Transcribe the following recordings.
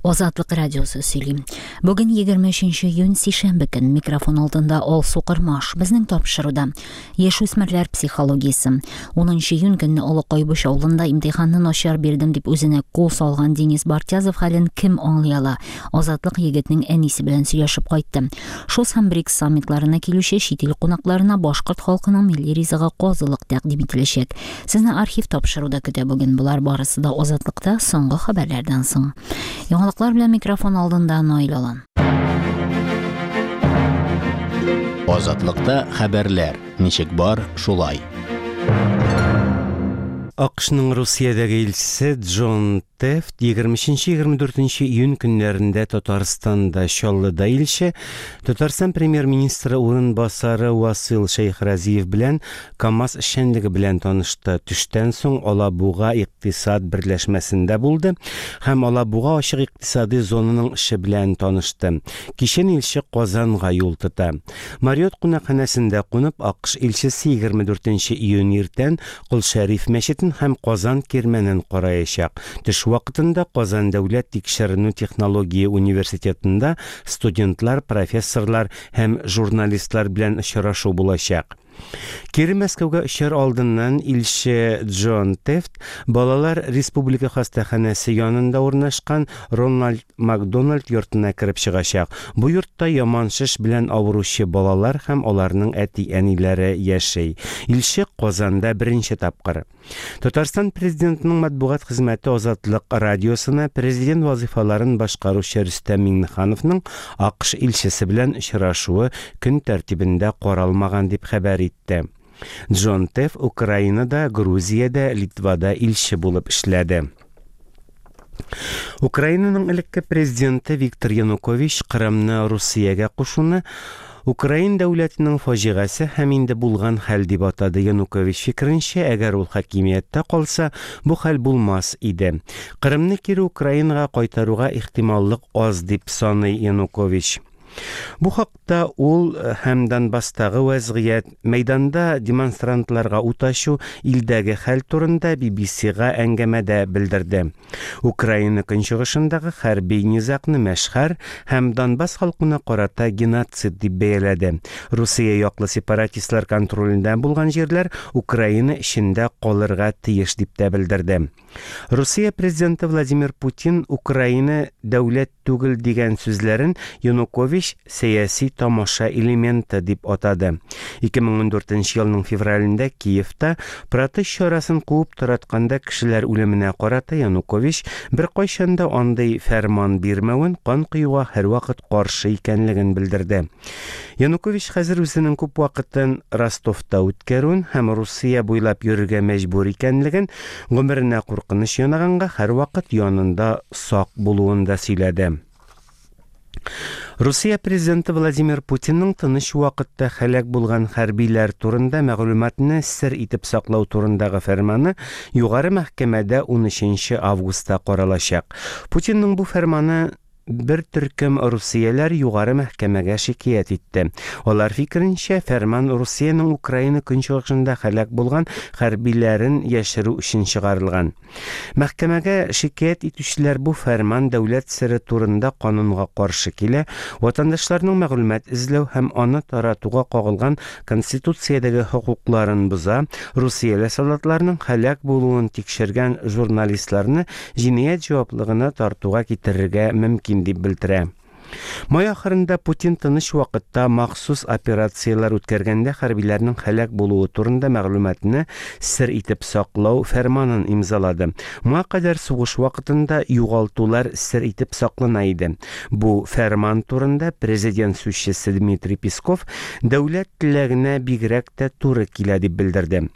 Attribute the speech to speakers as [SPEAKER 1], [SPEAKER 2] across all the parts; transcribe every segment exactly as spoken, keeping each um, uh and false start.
[SPEAKER 1] Азатлык радиосы сөйли. Бүген егерме өченче июнь, сишәмбе көн. Микрофон алдында Алсу Кырмаш. Безнең тапшыруда яшүсмерләр психологиясе. Унынчы июнь көнне Олы Кайбыч авылында имтиханны начар бирдем дип үзенә кул салган Денис Бартязов хәлен кем аңлый ала? Азатлык егетнең әнисе белән сөйләшеп кайтты. ШОС һәм БРИКС саммитларына килүче чит ил кунакларына башкорт халкының милли ризыгы казылык тәкъдим ителәчәк. Сезне архив тапшыруда көтә бүген. Болар барысы да Азатлыкта соңгы хәбәрләрдән соң. Яңалыклар белән микрофон алдында Наил Алан.
[SPEAKER 2] Азатлыкта хәбәрләр ничек бар, шулай.
[SPEAKER 3] АКШның Русиядәге илчесе Джон Тефт егерме өченче егерме дүртенче июнь көннәрендә Татарстанда Чаллыда илче, Татарстан премьер-министры урынбасары Васил Шәйхразиев белән КАМАЗ эшчәнлеге белән танышты. Төштән соң Алабуга икътисад берләшмәсендә булды һәм Алабуга ачык икътисади зонаның эше белән танышты. Кичен илче Казанга юл тота. Мариот кунакханәсендә кунып, АКШ илчесе егерме дүртенче июнь иртән Кол Шәриф мәчетен һәм Казан кирмәнен караячак. Төш вакытында Казан дәүләт тикшеренү технология университетында студентлар, профессорлар һәм журналистлар белән очрашу булачак. Кире Мәскәүгә очар алдыннан илче Джон Тефт Балалар Республика хастаханәсе янында урнашкан Рональд Макдональд йортына кереп чыгачак. Бу йортта яман шеш белән авыручы балалар һәм аларның әти-әниләре яши. Илче Казанда беренче тапкыр. Татарстан президентының матбугат хезмәте Азатлык радиосына президент вазифаларын башкаручы Рөстәм Миңнехановның АКШ илчесе белән очрашуы көн тәртибендә каралмаган дип хәбәр итте. Джон Тефт Украинада, Грузиядә, Литвада илче булып эшләде. Украинаның элекке президенты Виктор Янукович Кырымны Русиягә кушуны Украин дәүләтенең фаҗигасе һәм инде булган хәл дип атады. Янукович фикеренчә, әгәр ул хакимияттә калса, бу хәл булмас иде. Кырымны кире Украинага кайтаруга ихтималлык аз дип саный Янукович. Бу хакта ул һәм Донбасстагы вәзгыять, мәйданда демонстрантларга ут ачу, илдәге хәл турында Би Би Си-га әңгәмәдә белдерде. Украина көнчыгышындагы хәрби низагны мәшһәр һәм Донбасс халкына карата геноцид дип бәяләде. Русия яклы сепаратистлар контролендә булган җирләр Украина эчендә калырга тиеш дип тә белдерде. Русия президенты Владимир Путин Украина дәүләт түгел дигән сүзләрен Янукович сәяси тамаша элементы дип атады. Ике мең ун дүртенче елның февралендә Киевта протест чарасын куып таратканда кешеләр үлеменә карата Янукович бер кайчан да андый фәрман бирмәвен, кан коюга һәрвакыт каршы икәнлеген белдерде. Янукович хәзер үзенең күп вакытын Ростовта үткәрүен һәм Русия буйлап йөрергә мәҗбүр икәнлеген, гомеренә куркыныч янаганга һәрвакыт янында сак булуын да сөйләде. Русия президенты Владимир Путинның тыныч вакытта һәлак булган хәрбиләр турында мәгълүматны сер итеп саклау турындагы фәрманы югары мәхкәмәдә ун өченче августта каралачак. Путинның бу фәрманы бер төркем русияләр югары мәхкәмәгә шикаять итте. Алар фикеренчә, фәрман Русиянең Украина көнчыгышында һәлак булган хәрбиләрен яшерү өчен чыгарылган. Мәхкәмәгә шикаять итүчеләр бу фәрман дәүләт сере турында канунга каршы килә, ватандашларның мәгълүмат эзләү һәм аны таратуга кагылган конституциядәге хокукларын боза, русияле солдатларның һәлак булуын тикшергән журналистларны җинаять җаваплыгына тартуга китерергә мөмкин дип белдерә. Май ахырында Путин тыныч вакытта махсус операцияләр үткәргәндә хәрбиләрнең һәлак булуы турында мәгълүматны сер итеп саклау фәрманын имзалады. Моңа кадәр сугыш вакытында югалтулар сер итеп саклана иде. Бу фәрман турында президент сүзчесе Дмитрий Песков дәүләт теләгенә бигрәк тә туры килә дип белдерде.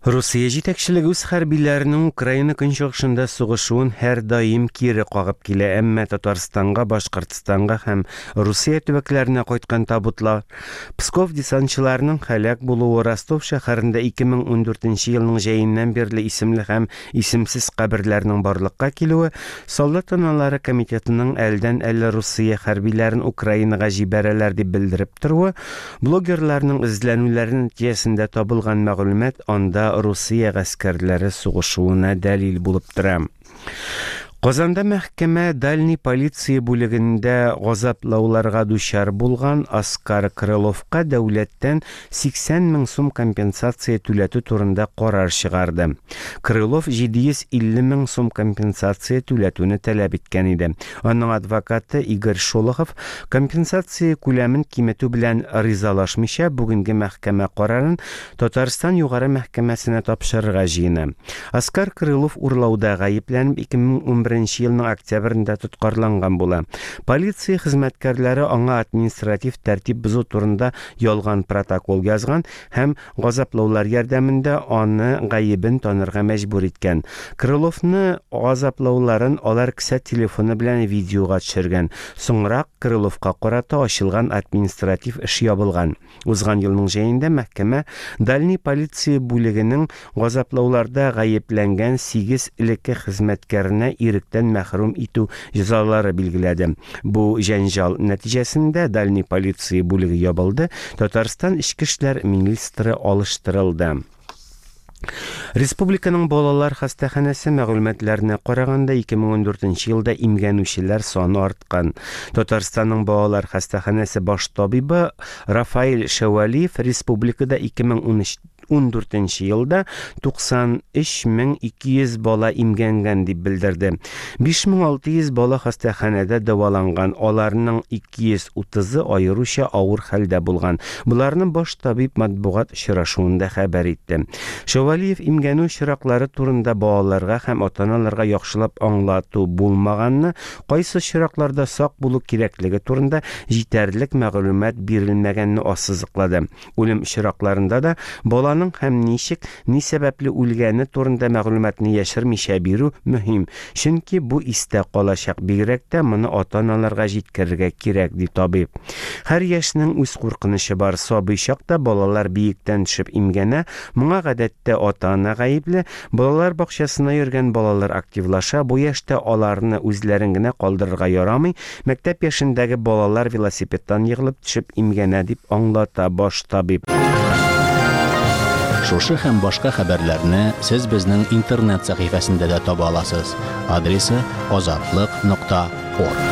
[SPEAKER 3] Русия җитәкчелеге үз хәрбиләренең Украина көнчыгышында сугышуын һәрдаим кире кагып килә, әмма Татарстанга, Башкортстанга һәм Русия төбәкләренә кайткан табутлар, Псков десантчыларының һәлак булуы, Ростов шәһәрендә ике мең ун дүртенче елның җәеннән бирле исемле һәм исемсез каберләрнең барлыкка килүе, солдат аналары комитетының әлдән-әле Русия хәрбиләрен Украинага җибәрәләр дип белдереп торуы, блогерларның эзләнүләре нәтиҗәсендә табылган мәгълүмат анда Русия гаскәрләре сугышуына дәлил булып тора. Казанда мәхкәмә Дальний полиция бүлегендә газаплауларга дучар булган Оскар Крыловка дәүләттән сиксән мең сум компенсация түләтү турында карар чыгарды. Крылов җиде йөз илле мең сум компенсация түләтүне таләп иткән иде. Аның адвокаты Игорь Шолохов компенсация күләмен киметү белән ризалашмыйча бүгенге мәхкәмә карарын Татарстан югары мәхкәмәсенә тапшырырга җыена. Оскар Крылов урлауда гаепләнеп ике мең унберенче елның октябрендә тоткарланган була. Полиция хезмәткәрләре аңа административ тәртип бозу турында ялган протокол язган һәм газаплаулар ярдәмендә аны гаебен танырга мәҗбүр иткән. Крыловны газаплауларын алар кесә телефоны белән видеога төшергән. Соңрак Крыловка карата ачылган административ эш ябылган. Узган елның җәендә мәхкәмә Дальний полиция бүлегенең газаплауларда гаепләнгән сигез элекке хезмәткәренә иректән мәхрүм итү җәзалары билгеләде. Бу җәнҗал нәтиҗәсендә Дальний полиция бүлеге ябылды, Татарстан эчке эшләр министры алыштырылды. Республиканың балалар хастаханәсе мәгълүматларына караганда ике мең ундүртенче елда имгәнүчеләр саны арткан. Татарстанның балалар хастаханәсе баш табибы Рафаэль Шәвәлиев республикада ике мең ундүртенче елда туксан өч мең ике йөз бала имгәнгән дип белдерде. Биш мең алты йөз бала хастаханәдә дәваланган, аларның ике йөз утызы аеруча авыр хәлдә булган. Буларны баш табиб матбугат очрашуында хәбәр итте. Шәвәлиев имгәнү очраклары турында балаларга һәм ата-аналарга яхшылап аңлату булмаганны, кайсы очракларда сак булу кирәклеге турында җитәрлек мәгълүмат бирелмәгәнне ассызыклады. Үлем очракларында да баланың һәм ничек, ни сәбәпле үлгәне турында мәгълүматны яшермичә бирү мөһим, чөнки бу истә калачак, бигрәк тә моны ата-аналарга җиткерергә кирәк, ди табиб. Һәр яшьнең үз куркынычы бар. Сабый чакта балалар биектән төшеп имгәнә, моңа гадәттә ата-ана гаепле. Балалар бакчасына йөргән балалар активлаша, бу яшьтә аларны үзләрен генә калдырырга ярамый. Мәктәп яшендәге балалар велосипедтан егылып төшеп имгәнә, дип аңлата баш табиб.
[SPEAKER 2] Шушы һәм башка хәбәрләрне сез безнең интернет сәхифәсендә дә таба аласыз. Адресы азатлык нокта орг.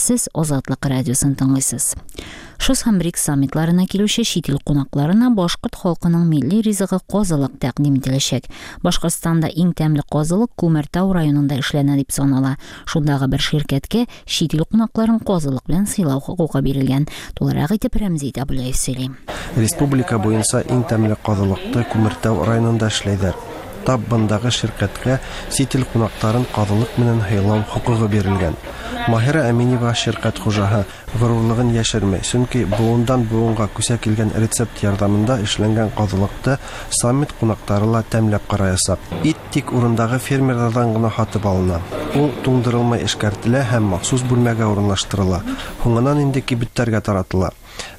[SPEAKER 1] Сез Азатлык радиосын тыңлыйсыз. ШОС һәм БРИКС саммитларына килүче чит ил кунакларына башкорт халкының милли ризыгы казылык тәкъдим ителәчәк. Башкортстанда иң тәмле казылык Күмертау районында эшләнә дип санала. Шундагы бер ширкәткә чит ил кунакларын казылык белән сыйлау хокукы бирелгән. Тулырак итеп Рәмзи Табулаев сөйли.
[SPEAKER 4] Республика буенча иң тәмле казылыкты Күмертау районында эшләйләр. Тап бындагы ширкәткә чит ил кунакларын казылык менән һыйлау хокукы бирелгән. Маһира Әминева ширкәт хуҗаһы горурлыгын яшерми, чөнки буындан буынга күчә килгән рецепт ярдәмендә эшләнгән казылыкты саммит кунаклары ла тәмләп караячак. Ит тик урындагы фермерлардан гына һатып алына. Ул туңдырылмай эшкәртелә һәм махсус бүлмәгә урынлаштырыла. Һуңынан инде кибетләргә таратыла.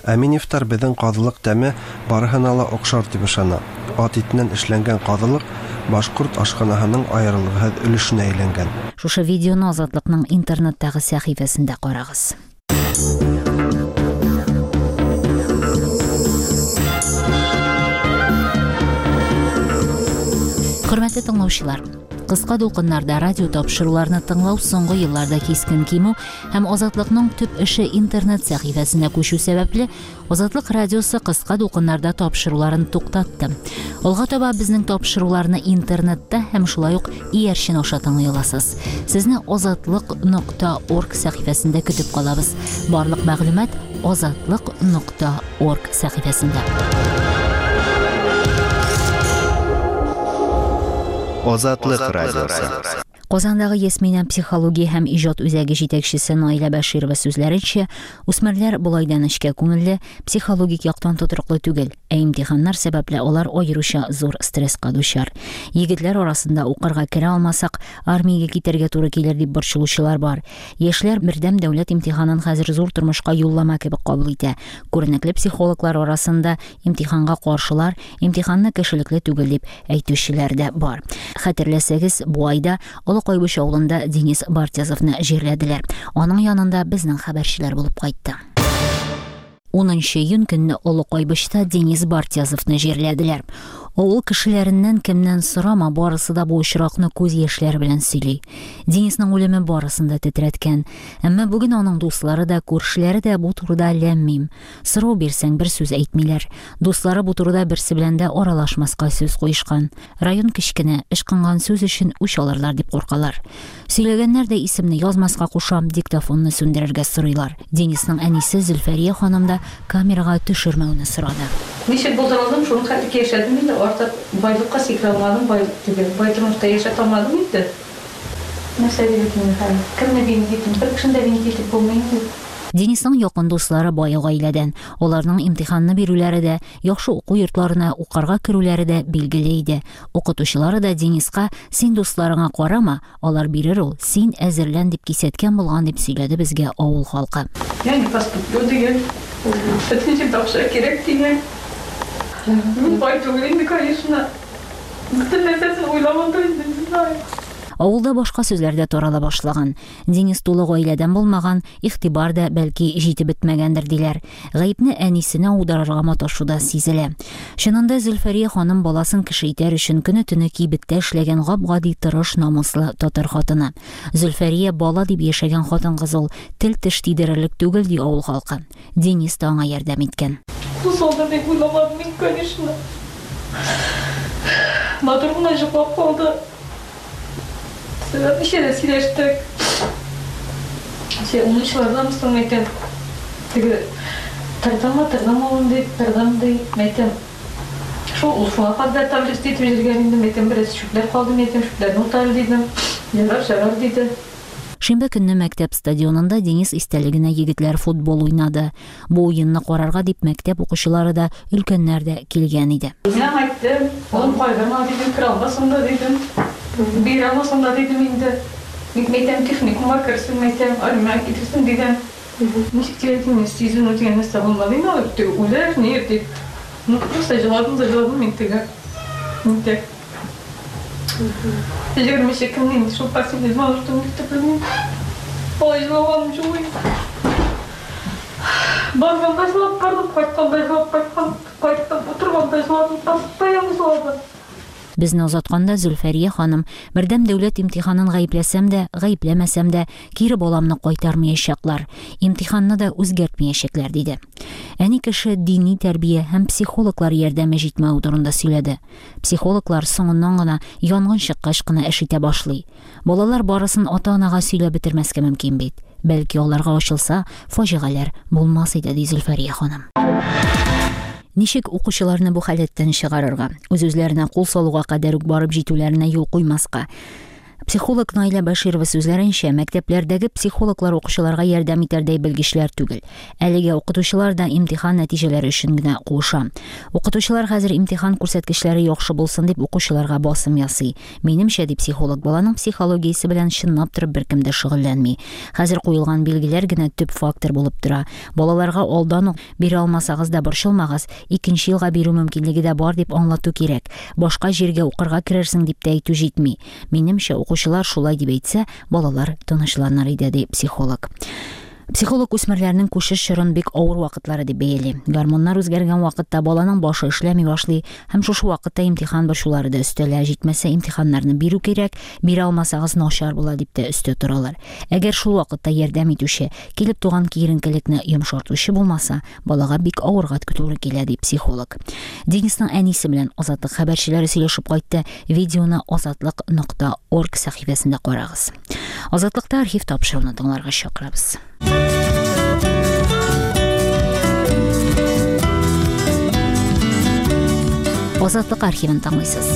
[SPEAKER 4] Әминевтар безнең казылык тәме барыһына ла охшар дип ышана. Ат итеннән эшләнгән казылык башкорт ашханаһының аерылгысыз өлешенә әйләнгән.
[SPEAKER 1] Шушы видеоны Азатлыкның интернеттагы сәхифәсендә карагыз. Хөрмәтле тыңлаучылар, кыска дулкыннарда радио тапшыруларны тыңлау соңгы елларда кискен кимү һәм Азатлыкның төп эше интернет сәхифәсенә күчү сәбәпле, Азатлык радиосы кыска дулкыннарда тапшыруларын туктатты. Алга таба безнең тапшыруларны интернетта һәм шулай ук иярчен аша тыңлый аласыз. Сезне азатлык нокта орг сәхифәсендә көтеп калабыз. Барлык мәгълүмат азатлык нокта орг сәхифәсендә.
[SPEAKER 5] Азатлык радиосы.
[SPEAKER 1] Казандагы Ясминә психология һәм иҗат үзәге җитәкчесе Наилә Бәширова сүзләренчә, үсмерләр болайдан эшкә күңелле, психологик яктан тотрыклы түгел, ә имтиханнар сәбәпле алар аеруча зур стресска дучар. Егетләр арасында укырга керә алмасак, армиягә китәргә туры килер дип борчылучылар бар. Яшьләр бердәм дәүләт имтиханын хәзер зур тормышка юллама кебек кабул итә. Күренекле психологлар арасында имтиханга каршылар, имтиханны кешелекле түгел дип әйтүчеләр дә бар. Хәтерләсәгез, бу айда Олы Кайбыч авылында Денис Бартязовны җирләделәр. Аның янында безнең хәбәрчеләр булып кайтты. Унынчы июнь көнне Олы Кайбычта Денис Бартязовны җирләделәр. Авыл кешеләреннән кемнән сорама, барысы да бу очракны күз яшьләре белән сөйли. Денисның үлеме барысын да тетрәткән. Әмма бүген аның дуслары да, күршеләре дә бу турыда ләм-мим. Сорау бирсәң, бер сүз әйтмиләр. Дуслары бу турыда берсе белән дә аралашмаска сүз куешкан. Район кечкенә, ычкынган сүз өчен үч алырлар дип куркалар. Сөйләгәннәр дә исемне язмаска куша, диктофонны сүндерергә сорыйлар. Денисның әнисе Зөлфәрия ханым да камерага төшермәүне сорады.
[SPEAKER 6] Ничек булдыра алдым, шуның хәтле яшәдем инде, артык байлыкка сикерә алмадым, байлык түгел, бай тормышта яшәтә алмадым инде. Нәрсә дип инде хәзер? Кемне винить итим? Бер кешене дә винить итеп булмый инде.
[SPEAKER 1] Денисның якын дуслары бай гаиләдән. Аларның имтиханны бирүләре дә, яхшы уку йортларына укырга керүләре дә билгеле иде. Укытучылары да Дениска: "Син дусларыңа карама, алар бирер ул, син әзерлән" дип кисәткән булган дип сөйләде безгә авыл халкы.
[SPEAKER 6] Я не поступлю дигән. Бөтен җирдә акча кирәк дигән. Мин бай түгел инде, конечно. Бөтен нәрсәсен уйламадым инде, не знаю.
[SPEAKER 1] Авылда башка сүзләр дә тарала башлаган. Денис тулы гаиләдән булмаган, игътибар да бәлки җитеп бетмәгәндер диләр. Гаепне әнисенә аударырга маташу да сизелә. Чынында Зөлфәрия ханым баласын кеше итәр өчен көне-төне кибеттә эшләгән гап-гади тырыш, намуслы татар хатыны. Зөлфәрия бала дип яшәгән хатын-кыз ул, тел-теш тидерерлек түгел ди авыл халкы. Денис та аңа ярдәм иткән.
[SPEAKER 6] Кул салды дип уйламадым мин, конечно. Матур гына йоклап калды. Сәгать ничәдә сөйләштек. Син унынчылардан соң әйтәм. Теге тордыңмы, тордыңмы улым дип, тордым ди, әйтәм. Шул ул шуңа кадәр таблица итеп йөргән инде, әйтәм, бераз чүпләр калды, әйтәм, чүпләрне утар дидем. Ярар, ярар диде.
[SPEAKER 1] Шимбә көнне мәктәп стадионында Денис истәлегенә егетләр футбол уйнады. Бу уенны карарга дип мәктәп укучылары да, өлкәннәр дә килгән иде.
[SPEAKER 6] Мин әйттем, улым кайгырма дидем, керә алмасың да дидем. Бирә алмасың да дидем инде. Бик мәйтәм, техникумга керсен, мәйтәм, армиягә китерсен дидем. Ничек дип әйтим, сизенү дигән нәрсә булмады инде, алар теге үләр, ни дип. Ну, просто җыладым да җыладым мин теге. Инде. Егерме нче көнне инде шул последний звонок итеп белмим. Алай җылаганым юк инде. Барганда җылап бардым, кайтканда җылап кайткан, кайттым, утырганда җыладым, постоянно җыладым.
[SPEAKER 1] Безне озатканда Зөлфәрия ханым: "Бердәм дәүләт имтиханын гаепләсәм дә, гаепләмәсәм дә, кире баламны кайтармаячаклар, имтиханны да үзгәртмәячәкләр" диде. Әни кеше дини тәрбия һәм психологлар ярдәме җитмәү турында сөйләде. Психологлар соңыннан гына, янгын чыккач кына эш итә башлый. Балалар барысын ата-анага сөйләп бетермәскә мөмкин бит. Бәлки аларга ачылса, фаҗигаләр булмас иде, ди Зөлфәрия ханым. Ничек укучыларны бу халәттән чыгарырга? Үз-үзләренә кул салуга кадәр үк барып җитүләренә юл куймаска. Психолог Наилә Баширова сүзләренчә, мәктәпләрдәге психологлар укучыларга ярдәм итәрдәй белгечләр түгел. Әлегә укытучылар да имтихан нәтиҗәләре өчен генә куыша. Укытучылар хәзер имтихан күрсәткечләре яхшы булсын дип укучыларга басым ясый. Минемчә, ди психолог, баланың психологиясе белән чынлап торып беркем дә шөгыльләнми. Хәзер куелган билгеләр генә төп фактор булып тора. Балаларга алдан ук бирә алмасагыз да борчылмагыз, икенче елга бирү мөмкинлеге дә бар дип аңлату кирәк. Башка җиргә укырга керерсең дип тә әйтү җитми. Минемчә, укучылар шулай дип әйтсә, балалар тынычланыр иде, ди психолог. Психолог үсмерләрнең күчеш чорын бик авыр вакытлары дип бәяли. Гормоннар үзгәргән вакытта баланың башы эшләми башлый һәм шушы вакытта имтихан борчулары да өстәлә. Җитмәсә имтиханнарны бирү кирәк, бирә алмасагыз начар була дип тә өстә торалар. Әгәр шул вакытта ярдәм итүче, килеп туган киеренкелекне йомшартучы булмаса, балага бик авырга туры килә, ди психолог. Денисның әнисе белән Азатлык хәбәрчеләре сөйләшеп кайтты. Видеоны азатлык нокта орг сәхифәсендә карагыз. Азатлыкта архив тапшыруны тыңларга чакырабыз. Азатлык архивын тыңлыйсыз.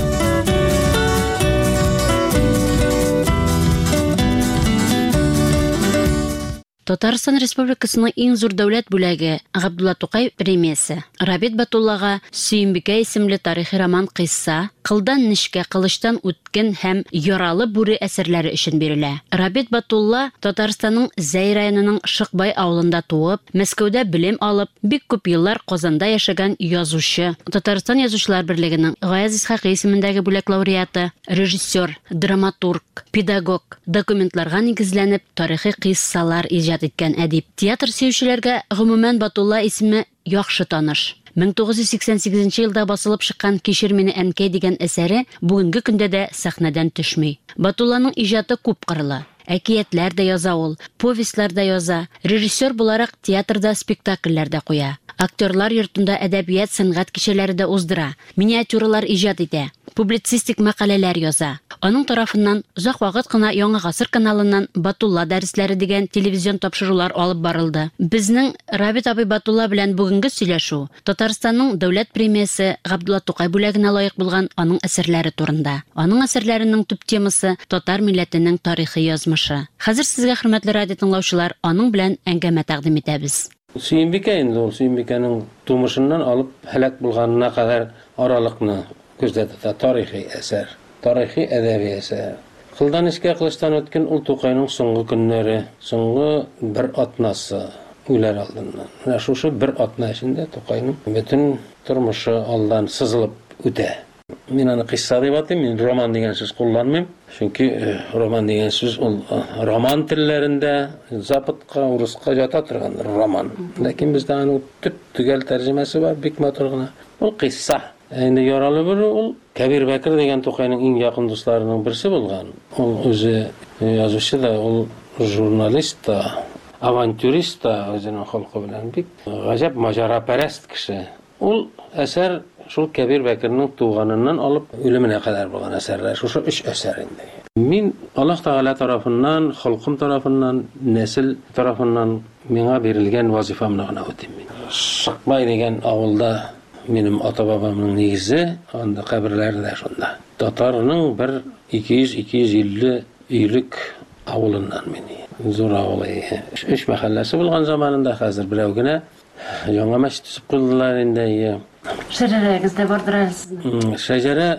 [SPEAKER 7] Татарстан Республикасының иң зур дәүләт бүләге Габдулла Тукай премиясе Рабит Батуллага Сөембикә исемле тарихи роман кыйсса, Кылдан нечкә, кылычтан үткен һәм Яралы бүре әсәрләре өчен бирелә. Рабит Батулла Татарстанның Зәй районының Шыкбай авылында туып, Мәскәүдә белем алып, бик күп еллар Казанда яшәгән язучы, Татарстан Язучылар берлегенең Гаяз Исхакый исемендәге бүләк лауреаты, режиссер, драматург, педагог, документларга нигезләнеп тарихи кыйссалар иҗат иткән әдип. Театр сөючеләргә гомумән Батулла исеме яхшы таныш. мең тугыз йөз сиксән сигезенче елда басылып чыккан Кичер мине әнкәй дигән әсәре бүгенге көндә дә сәхнәдән төшми. Батулланың иҗаты күп кырлы. Әкиятләр дә яза ул, повестьлар да яза, режиссер буларак театрда спектакльләр дә куя. Актерлар йортында әдәбият, сәнгать кичәләре дә уздыра, миниатюралар иҗат итә, публицистик мәкаләләр яза. Аның тарафыннан озак вакыт кына Яңа Гасыр каналыннан Батулла дәресләре дигән телевизион тапшырулар алып барылды. Безнең Рабит абый Батулла белән бүгенге сөйләшү Татарстанның дәүләт премиясе Габдулла Тукай бүләгенә лаек булган аның әсәрләре турында. Аның әсәрләренең төп темасы татар милләтенең тарихи язмышы. Хәзер сезгә, хөрмәтле радио тыңлаучылар, аның белән әңгәмә тәкъдим итәбез.
[SPEAKER 8] Сөембикә инде ул Сөембикәнең тумышыннан алып һәлак булганына кадәр аралыкны күздә тота. Тарихи әсәр, тарихи әдәби әсәр. Кылдан эшкә кылычтан үткән ул Тукайның соңгы көннәре, соңгы бер атнасы үләр алдыннан. Менә шушы бер атна эчендә Тукайның бөтен тормышы алдан сызылып үтә. Мин аны кыйсса дип атыйм, мин роман дигән сүз кулланмыйм. Чөнки роман дигән сүз ул роман телләрендә западка, урыска ята торган роман. Ләкин бездә аның төп төгәл тәрҗемәсе бар, бик матур гына. Ул кыйсса. Инде яралы бер ул Кәбир Бәкер дигән Тукайның иң якын дусларының берсе булган. Ул үзе язучы да, ул журналист та, авантюрист та, үзенең холкы белән бик гаҗәп маҗарапәрәст кеше. Ул әсәр шул Кәбир Бәкернең туганыннан алып үлеменә кадәр булган әсәрләр. Шушы өч әсәр инде. Мин Аллаһ Тәгалә тарафыннан, холкым тарафыннан, нәсел тарафыннан миңа бирелгән вазифамны гына үтим мин. Шыкбай дигән авылда минем ата-бабамның нигезе, анда каберләре дә шунда. Татарның бер ике йөз, ике йөз илле өйлек авылыннан мин. Зур авыл. Өч мәхәлләсе булган заманында, хәзер берәү генә. Яңа мәчет төзеп куйдылар инде.
[SPEAKER 7] Шәҗәрәгез дә бардыр әле сезнең.
[SPEAKER 8] Шәҗәрә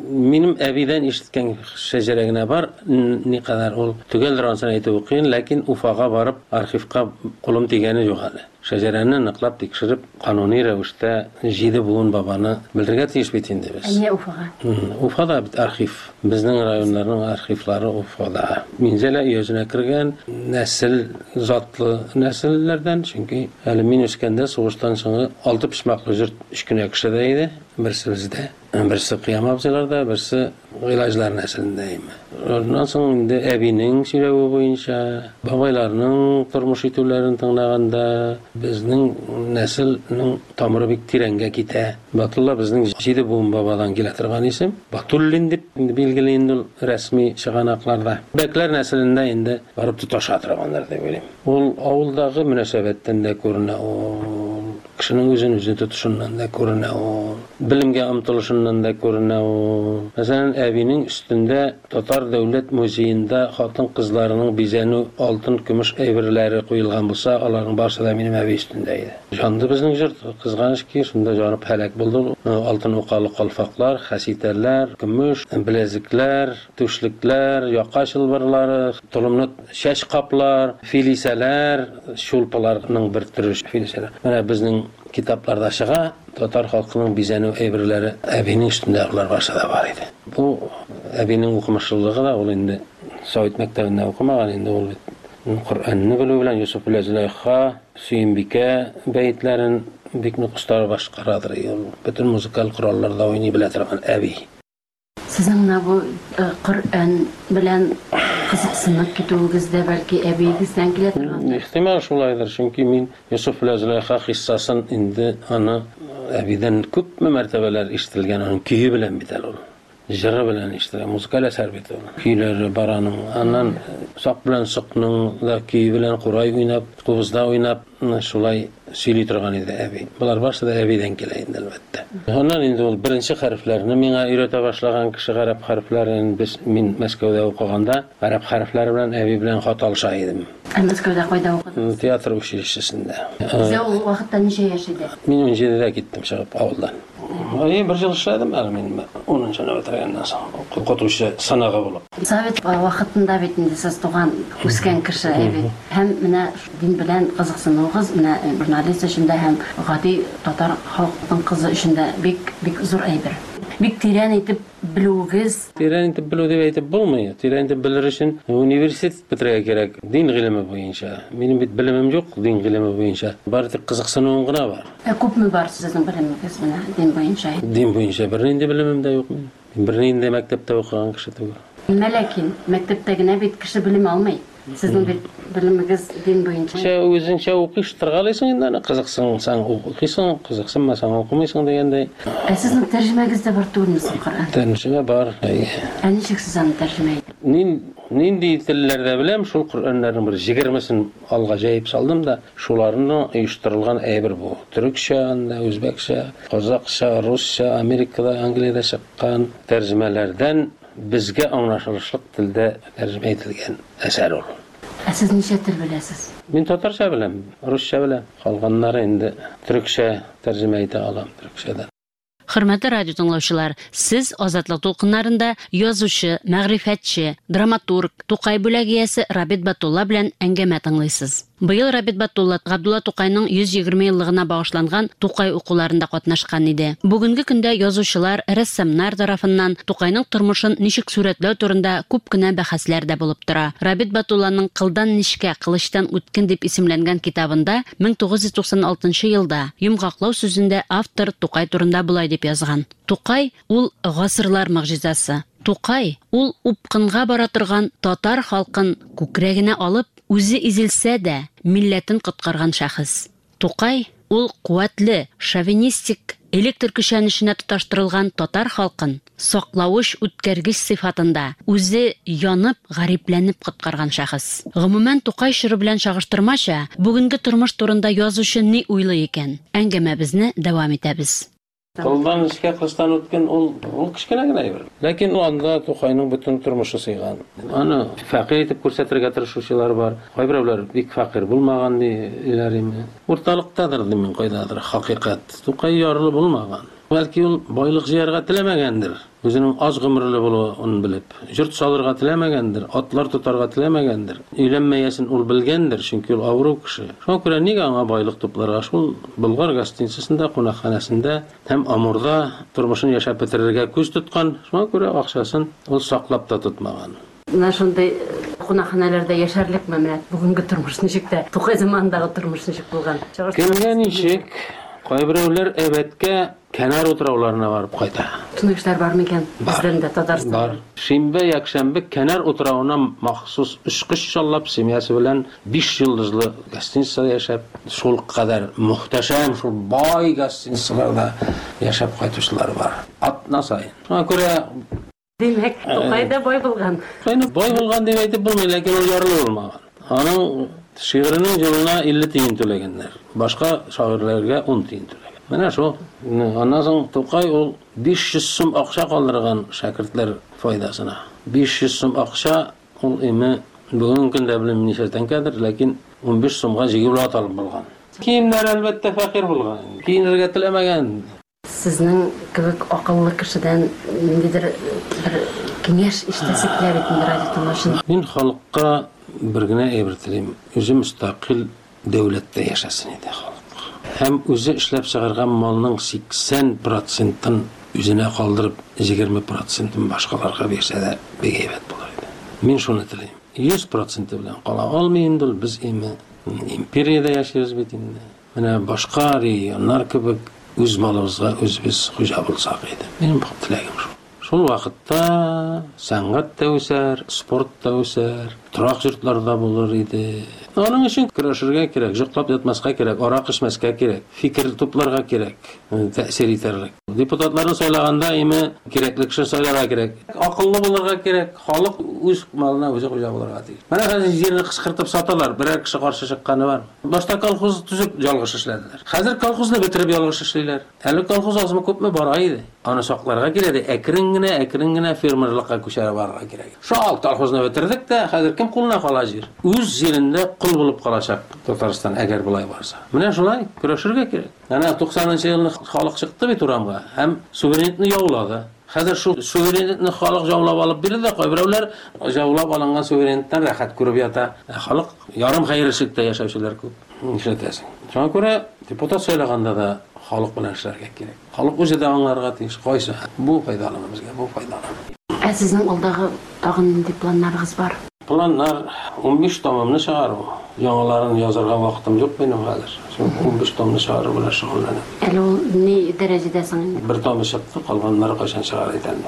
[SPEAKER 8] минем әбидән ишеткән шәҗәрә генә бар. Никадәр ул төгәл ансын әйтү кыен, ләкин Уфага барып архивка кулым тигәне юк әле. Шәҗәрәне ныклап тикшереп, кануни рәвештә җиде буын бабаны белергә тиеш бит инде без.
[SPEAKER 7] Ә нигә Уфага?
[SPEAKER 8] Уфада бит архив. Безнең районнарның архивлары Уфада. Минзәлә өязенә кергән нәсел затлы нәселләрдән, чөнки әле мин үскәндә сугыштан соңгы алты почмаклы йорт өч кенә кешедә иде, берсе бездә, берсе Кыям абзыйларда, берсе Гыйлаҗлар нәселендә иде. Аннан соң инде әбинең сөйләве буенча, бабайларның тормыш итүләрен тыңлаганда безнең нәселнең тамыры бик тирәнгә китә. Батулла безнең җиде буын бабадан килә торган исем. Батуллин дип билгеле инде ул рәсми чыганакларда. Бәкләр нәселендә инде барып тоташа торганнар дип уйлыйм. Ул авылдагы мөнәсәбәттән дә күренә, ул кешенең үзен үзе тотышыннан да күренә, ул белемгә омтылышыннан да күренә. Ул мәсәлән, әбинең өстендә Татар дәүләт музеенда хатын-кызларының бизәнү алтын, көмеш әйберләре куелган булса, аларның барысы да минем әби өстендә иде. Жанды безнең йорт, кызганыч ки, шунда жанып һәлак булды. Алтын укалы калфаклар, хәситәләр, көмеш, беләзекләр, түшлекләр, яка чылбырлары, толымны чәч каплар, филисәләр, чулпыларның бер төре филисәләр. Менә безнең китапларда чыга, татар халкының бизәнү әйберләре әбинең өстендә алар барысы да бар иде. Бу әбинең укымышлылыгы да, ул инде Совет мәктәбендә укымаган, инде ул бит Коръәнне белү белән Йосыф белән Зөләйха, Сөембикә бәетләрен бик нык оста башкарадыр. Ул бөтен музыкаль коралларда уйный белә торган әби.
[SPEAKER 7] Сезнең менә бу Коръән белән кызыксынып китүегез дә бәлки әбиегездән килә торгандыр?
[SPEAKER 8] Ихтимал шулайдыр, чөнки мин Йосыф белән Зөләйха хиссасын инде аны әбидән күпме мәртәбәләр ишетелгән, аның көе белән бит әле ул. Җыры белән ишетелә, музыкаль әсәр бит ул. Көйләре бар аның. Аннан сак белән сокның да көе белән курай уйнап, кубызда уйнап, шулай сөйли торган иде әби. Болар барысы да әбидән килә инде, әлбәттә. Аннан инде ул беренче хәрефләрне миңа өйрәтә башлаган кеше, гарәп хәрефләрен. Без мин Мәскәүдә укыганда гарәп хәрефләре белән әби белән хат алыша идем.
[SPEAKER 7] Ә Мәскәүдә кайда укыдыгыз?
[SPEAKER 8] Театр училищесендә.
[SPEAKER 7] Сезгә ул вакытта ничә яшь иде?
[SPEAKER 8] Мин ун җидедә киттем чыгып авылдан. Ай, бер ел эшләдем әле мин унынчыны бетергәннән соң, укытучы сынагы булып.
[SPEAKER 7] Совет вакытында бит инде сез туган, үскән кеше бит. Һәм менә дин белән кызыксынуыгыз менә журналист өчен дә һәм гади татар халкының кызы өчен дә бик бик зур әйбер. Бик тирән итеп белүегез.
[SPEAKER 8] Тирән итеп белү дип әйтеп булмый. Тирән итеп белер өчен университет бетерергә кирәк. Дин гыйлеме буенча. Минем бит белемем юк дин гыйлеме буенча. Бары тик кызыксынуым гына бар.
[SPEAKER 7] Ә күпме бар сезнең белемегез менә дин буенча?
[SPEAKER 8] Дин буенча бернинди белемем дә юк минем. Бернинди мәктәптә укыган кеше түгел.
[SPEAKER 7] Ләкин мәктәптә генә бит кеше белем алмый. Сезнең бит белемегез дин буенча.
[SPEAKER 8] Сен үзеңчә укыштыргалыйсың инде аны, кызыксынсаң укыйсың, кызыксынмасаң укымыйсың дигәндәй.
[SPEAKER 7] Ә сезнең тәрҗемәгез дә бар түгелме соң Коръән?
[SPEAKER 8] Тәрҗемә бар.
[SPEAKER 7] Ә ничек сез аны тәрҗемә иттегез?
[SPEAKER 8] Мин нинди телләрдә беләм, шул Коръәннәрнең бер егермесен алга җәеп салдым да, шуларны оештырылган әйбер бу. Төркчә, анда үзбәкчә, казакча, русча, Америкада, Англиядә чыккан тәрҗемәләрдән безгә аңлашылышлык телдә тәрҗемә ителгән әсәр ул.
[SPEAKER 7] Ә сез ничә тел беләсез?
[SPEAKER 8] Мин татарча беләм, русча беләм. Калганнары инде төркчә тәрҗемә итә алам, төркчәдән.
[SPEAKER 7] Хөрмәтле радио тыңлаучылар, сез Азатлык дулкыннарында язучы, мәгърифәтче, драматург, Тукай бүләге иясе Рабит Батулла белән әңгәмә тыңлыйсыз. Быел Рабит Батулла Габдулла Тукайның йөз егерме еллыгына багышланган Тукай укуларында катнашкан иде. Бүгенге көндә язучылар, рәссамнар тарафыннан Тукайның тормышын ничек сурәтләү турында күп кенә бәхәсләр дә булып тора. Рабит Батулланың Кылдан нечкә, кылычтан үткен дип исемләнгән китабында мең тугыз йөз туксан алтынчы елда йомгаклау сүзендә автор Тукай турында болай дип язган. Тукай ул гасырлар могҗизасы. Тукай ул упкынга бара торган татар халкын күкрәгенә алып, үзе изелсә дә, милләтен коткарган шәхес. Тукай ул куәтле, шовинистик, электр көчәнешенә тоташтырылган татар халкын саклавыч үткәргеч сыйфатында үзе янып, гарипләнеп коткарган шәхес. Гомумән, Тукай чоры белән чагыштырмача, бүгенге тормыш турында язучы ни уйлый икән? Әңгәмәбезне дәвам итәбез.
[SPEAKER 8] Кылдан нечкә, кылычтан үткен ул, ул кечкенә генә әйбер. Ләкин ул анда Тукайның бөтен тормышы сыйган. Аны фәкыйрь итеп күрсәтергә тырышучылар бар. Кайберәүләр бик фәкыйрь булмаган диләр име. Урталыктадыр дим мин, кайдадыр хакыйкать. Тукай ярлы булмаган. Бәлки ул байлык җыярга теләмәгәндер. Үзенең аз гомерле булуын белеп, йорт салырга теләмәгәндер, атлар тотарга теләмәгәндер. Өйләнмәясен ул белгәндер, чөнки ул авыру кеше. Шуңа күрә нигә аңа байлык тупларга? Шул Болгар гостиницасында, кунакханәсендә һәм Амурда тормышын яшәп бетерергә күз тоткан. Шуңа күрә акчасын ул саклап та тотмаган.
[SPEAKER 7] Менә шундый кунакханәләрдә яшәрлекме менә бүгенге тормыш ничек тә, Тукай заманындагы тормыш ничек булган?
[SPEAKER 8] Кемгә ничек? Кайберәүләр әбәткә Канар утрауларына барып кайта.
[SPEAKER 7] Шундый кешеләр бар микән? Бездән дә Татарстанда.
[SPEAKER 8] Бар. Шимбә, якшәмбе Канар утравына махсус очкыч чаллап, семьясы белән биш йолдызлы гостиницада яшәп, шул кадәр мөхтәшәм, шул бай гостиницаларда яшәп кайтучылар бар. Атна саен. Шуңа күрә
[SPEAKER 7] Димәк, Тукай да бай булган.
[SPEAKER 8] Тукайны бай булган дип әйтеп булмый, ләкин ул ярлы булмаган. Аның шигыренең елына илле тиен түләгәннәр. Башка шагыйрьләргә ун тиен түләгән. Менә шул. Аннан соң Тукай ул биш йөз сум акча калдырган шәкертләр файдасына. Биш йөз сум акча ул име бүгенге көндә белмим ничә тәңкәдер, ләкин унбиш сумга җигүле ат алып булган. Киемнәр әлбәттә фәкыйрь булган. Киенергә теләмәгән.
[SPEAKER 7] Сезнең кебек акыллы кешедән ниндидер бер киңәш ишетәсе килә бит инде радио тыңлаучының.
[SPEAKER 8] Мин халыкка бер генә әйбер телим. Үзе мөстәкыйль дәүләттә яшәсен иде халык. Һәм үзе эшләп чыгарган малның сиксән процентын үзенә калдырып, егерме процентын башкаларга бирсә дә бик әйбәт булыр иде. Мин шуны телим. Йөз проценты белән кала алмый инде ул, без име империядә яшибез бит инде. Менә башка регионнар кебек үз малыбызга үзебез хуҗа булсак иде. Минем теләгем шул. Шул вакытта сәнгать тә үсәр, спорт та үсәр, торак йортлар да булыр иде. Аның өчен көрәшергә кирәк, йоклап ятмаска кирәк, арак эчмәскә кирәк, фикер тупларга кирәк, тәэсир итәрлек. Депутатларны сайлаганда име кирәкле кеше сайларга кирәк. Акыллы булырга кирәк, халык үз малына үзе хуҗа булырга тиеш. Менә хәзер җирне кычкыртып саталар, берәр кеше каршы чыкканы бар. Башта колхоз төзеп ялгыш эшләделәр. Хәзер колхозны бетереп ялгыш эшлиләр. Әле колхоз азмы күпме бара иде. Аны сакларга кирәк, әкрен генә, әкрен генә фермерлыкка күчәрә барырга кирәк. Шул колхозны бетердек тә, хәзер кем кулына кала җир? Үз җирендә кул булып калачак Татарстан, әгәр болай барса. Менә шулай көрәшергә кирәк. Әнә туксанынчы елны халык чыкты бит урамга һәм суверенитетны яулады. Хәзер шул суверенитетны халык яулап алып бирде дә, кайберәүләр яулап алынган суверенитеттән рәхәт күреп ята. Ә халык ярым хәерчелектә яшәүчеләр күп. Нишләтәсең? Шуңа күрә депутат сайлаганда да Халык белән эшләргә кирәк. Халык үзе дә аңларга тиеш. Кайсы бу файдалымы безгә, бу файдалы.
[SPEAKER 7] Ә сезнең алдагы тагын нинди планнарыгыз бар?
[SPEAKER 8] Планнар унбиш томымны чыгару. Яңаларын язарга вакытым юк минем хәзер. Шул унбиш томны чыгару белән шөгыльләнәм.
[SPEAKER 7] Әле ул ни дәрәҗәдә соң инде?
[SPEAKER 8] Бер томы чыкты, калганнары кайчан чыгар әйтәм.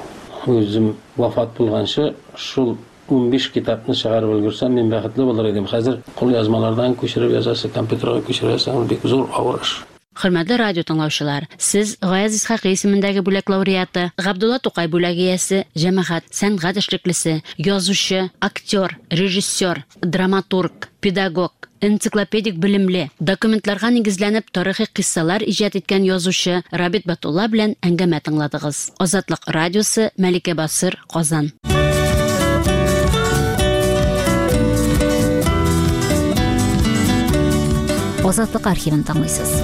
[SPEAKER 8] Үзем вафат булганчы шул унбиш китапны чыгарып өлгерсәм, мин бәхетле булыр идем. Хәзер кул язмалардан күчереп язасы, компьютерга күчерәсең, ул бик зур авыр эш.
[SPEAKER 7] Хөрмәтле радио тыңлаучылар, сез Гаяз Исхакый исемендәге бүләк лауреаты, Габдулла Тукай бүләге иясе, җәмәгать, сәнгать эшлеклесе, язучы, актер, режиссер, драматург, педагог, энциклопедик белемле, документларга нигезләнеп тарихи кыйссалар иҗат иткән язучы Рабит Батулла белән әңгәмә тыңладыгыз. Азатлык радиосы, Мәликә Басыр, Казан.
[SPEAKER 1] Азатлык архивын тыңлыйсыз.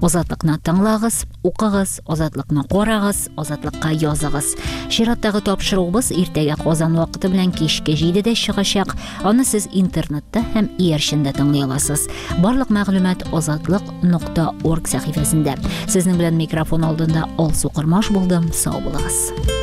[SPEAKER 1] Азатлыкны тыңлагыз, укыгыз, азатлыкны карагыз, азатлыкка языгыз. Чираттагы тапшыруыбыз иртәгә Казан вакыты белән кичке җидедә чыгачак. Аны сез интернетта һәм иярчендә тыңлый аласыз. Барлык мәгълүмат азатлык нокта орг сәхифәсендә. Сезнең белән микрофон алдында Алсу Кормаш булдым. Сау булыгыз.